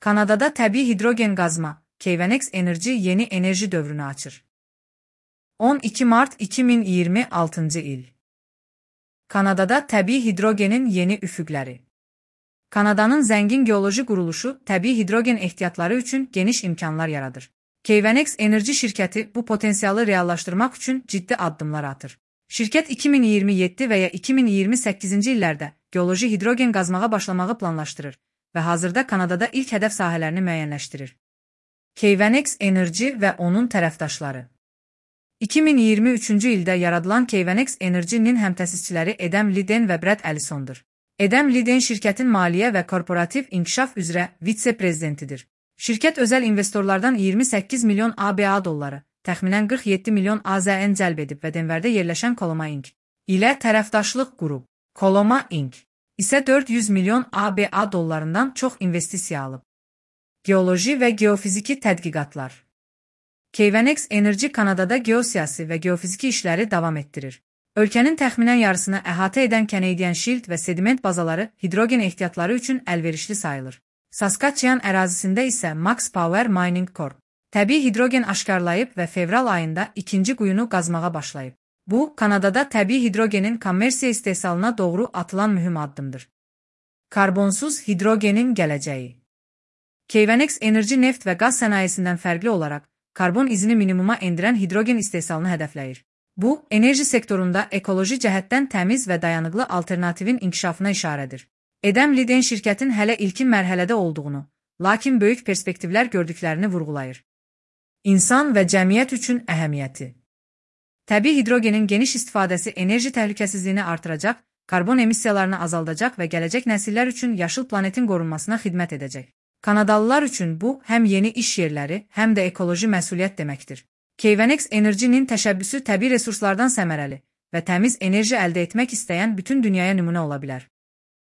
Kanadada təbii hidrogen qazma, Keyvanex Enerji yeni enerji dövrünü açır. 12 Mart 2026 il. Kanadada təbii hidrogenin yeni üfüqləri. Kanadanın zəngin geoloji quruluşu təbii hidrogen ehtiyatları üçün geniş imkanlar yaradır. Keyvanex Enerji şirkəti bu potensialı reallaşdırmaq üçün ciddi addımlar atır. Şirkət 2027 və ya 2028-ci illərdə geoloji hidrogen qazmağa başlamağı planlaşdırır və hazırda Kanadada ilk hədəf sahələrini müəyyənləşdirir. Keyvanex Enerji və onun tərəfdaşları. 2023-cü ildə yaradılan Keyvanex Enerji-nin həmtəsisçiləri Adam Liden və Brad Ellisondur. Adam Liden şirkətin maliyyə və korporativ inkişaf üzrə vitse-prezidentidir. Şirkət özəl investorlardan 28 milyon ABA dolları, təxminən 47 milyon AZN cəlb edib və Denverdə yerləşən Coloma Inc. ilə tərəfdaşlıq qurub. Coloma Inc. isə 400 milyon ABA dollarından çox investisiya alıb. Geoloji və geofiziki tədqiqatlar. Keyvanex Enerji Kanadada geosiyasi və geofiziki işləri davam etdirir. Ölkənin təxminən yarısını əhatə edən Canadian Shield və sediment bazaları hidrogen ehtiyatları üçün əlverişli sayılır. Saskatchewan ərazisində isə Max Power Mining Corp. təbii hidrogen aşkarlayıb və fevral ayında ikinci quyunu qazmağa başlayıb. Bu, Kanadada təbii hidrogenin kommersiya istehsalına doğru atılan mühüm addımdır. Karbonsuz hidrogenin gələcəyi. Keyvanex Enerji neft və qaz sənayesindən fərqli olaraq, karbon izini minimuma endirən hidrogen istehsalını hədəfləyir. Bu, enerji sektorunda ekoloji cəhətdən təmiz və dayanıqlı alternativin inkişafına işarədir. Adam Liden şirkətin hələ ilkin mərhələdə olduğunu, lakin böyük perspektivlər gördüklərini vurğulayır. İnsan və cəmiyyət üçün əhəmiyyəti. Təbii hidrogenin geniş istifadəsi enerji təhlükəsizliyini artıracaq, karbon emissiyalarını azaldacaq və gələcək nəsillər üçün yaşıl planetin qorunmasına xidmət edəcək. Kanadalılar üçün bu, həm yeni iş yerləri, həm də ekoloji məsuliyyət deməkdir. Keyvanex Enerji-nin təşəbbüsü təbii resurslardan səmərəli və təmiz enerji əldə etmək istəyən bütün dünyaya nümunə ola bilər.